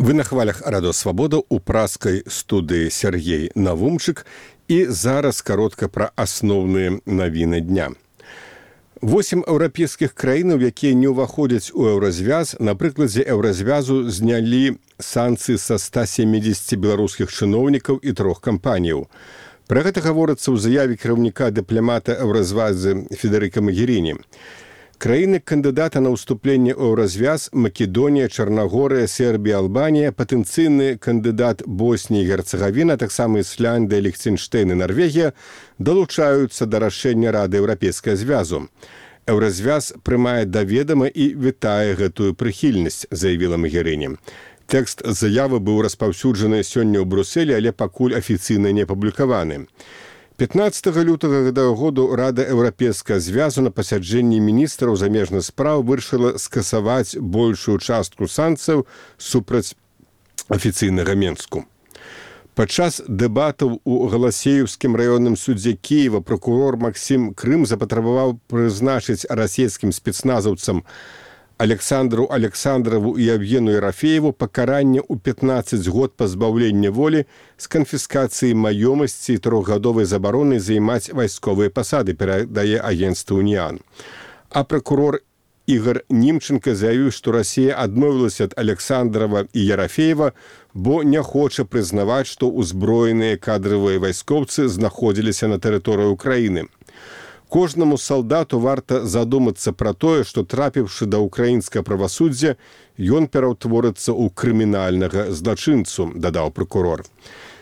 Вы на хвалях Радио Свабода у праскай студыі Сергей Навумчык і зараз каротка пра асноўныя навіны дня. 8 еўрапейскіх краінаў, якія не ўваходзяць у еўразвяз, на прыкладзе еўразвязу знялі санкцыі са 170 беларускіх чыноўнікаў і 3 кампаніяў. Пра гэта гаворыцца ў заяве кіраўніка дыпламата еўразвязы Федэрыка Магеріні. Краіны-кандыдата на ўступленне ў еўразвяз Македонія, Чарнагорыя, Сербія, Албанія, патэнцыйны кандыдат Боснія і Герцагавіна, таксама Ісляндыя, Ліхтэнштэйн і Нарвегія далучаюцца да рашэння Рады Еўрапейскага звязу. Еўразвяз прымае да ведама і вітае гэтую прыхільнасць, заявіла Магеріні. Тэкст заявы быў распаўсюджаны сёння ў Брусэлі, але пакуль афіцыйна не апублікаваны. 15 лютага гэтага году Рада Еўрапейскага звязу на пасяджэнні міністраў замежных спраў вырашыла скасаваць большую частку санкцыяў супраць афіцыйнага Менску. Падчас дэбатаў у Галасеевскім раённым судзе Кіева пракурор Максім Крым запатрабаваў прызначыць расійскім спецназаўцам Александру Александрову і Евгену Ерафееву пакаранне ў 15 год пазбаўлення волі з канфіскацыі маёмасці і 3-гадовай забаронай займаць вайсковыя пасады, перадае агенцтва «Уніан». А пракурор Ігор Німченка заявіў, што Расія адмовілася ад Александрова і Ерафеева, бо не хоча прызнаваць, што ўзброеныя кадравыя вайскоўцы знаходзіліся на тэрыторыі Украіны. Кожнаму салдату варта задумацца пра тое, што, трапіўшы да ўкраінскага правасуддзя, ён пераўтворыцца ў крымінальнага злачынцу, дадаў пракурор.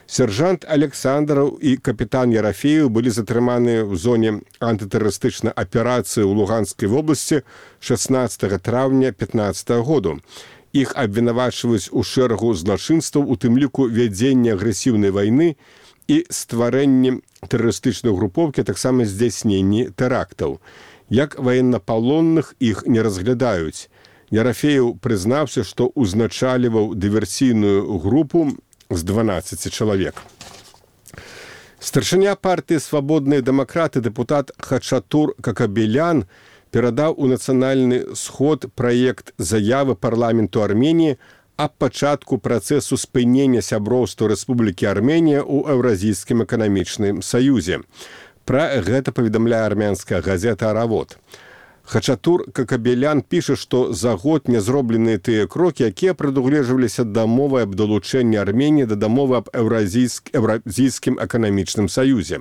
Сержант Александраў і капітан Ерафеев былі затрыманы ў зоне антытэрарыстычнай аперацыі ў Луганскай вобласці 16 траўня 2015 году. Іх абвінавачваюць у шэрагу злачынстваў, у тым ліку вядзення агрэсіўнай вайны і стварэнні тэрарыстычнай групоўкі, таксама здзяйсненні тэрактаў. Як ваеннапалонных іх не разглядаюць. Ерафеев прызнаўся, што ўзначаліваў дыверсійную групу з 12 чалавек. Старшыня партыі «Свабодныя дэмакраты» дэпутат Хачатур Какабелян перадаў у Нацыянальны сход праект заявы парламенту Арменіі аб пачатку працэсу спынення сяброўства Рэспублікі Арменія ў Еўразійскім эканамічным саюзе. Пра гэта паведамляе армянская газета «Аравод». Хачатур Какабелян піша, што за год не зробленыя тыя крокі, якія прадугледжваліся дамовы аб далучэнні Арменіі да дамовы аб Еўразійскім эканамічным саюзе.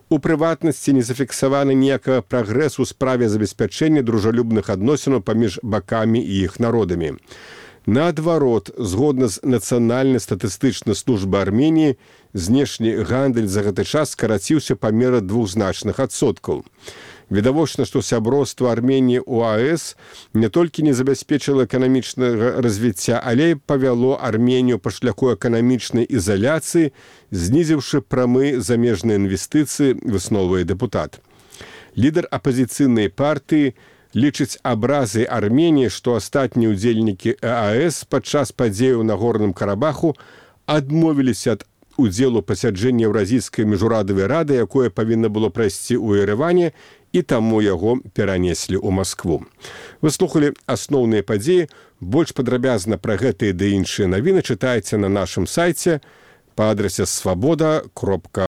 У прыватнасці не зафіксаваны ніякага прагрэсу ў справе забеспячэння дружалюбных адносінаў паміж бакамі і іх народамі. Наадварот, згодна з Нацыянальнай статыстычнай службай Арменіі, знешні гандаль за гэты час скараціўся памеры двухзначных адсоткаў. Відавочна, што сяброўства Арменіі ў АЭС не толькі не забяспечыла эканамічнага развіцця, але і павяло Арменію па шляху эканамічнай ізаляцыі, знізіўшы прамыя замежныя інвестыцыі, высновуе дэпутат. Лідар апазіцыйнай партыі лічыць абразай Арменіі, што астатнія ўдзельнікі АЭС падчас падзеяў на Горным Карабаху адмовіліся ад удзелу пасяджэння Еўразійскай міжурадавай рады, якое павінна было прайсці ў Ерэване, і таму яго перанеслі ў Маскву. Вы слухалі асноўныя падзеі. Больш падрабязна пра гэтыя ды іншыя навіны чытайце на нашым сайце па адрасе swaboda.org.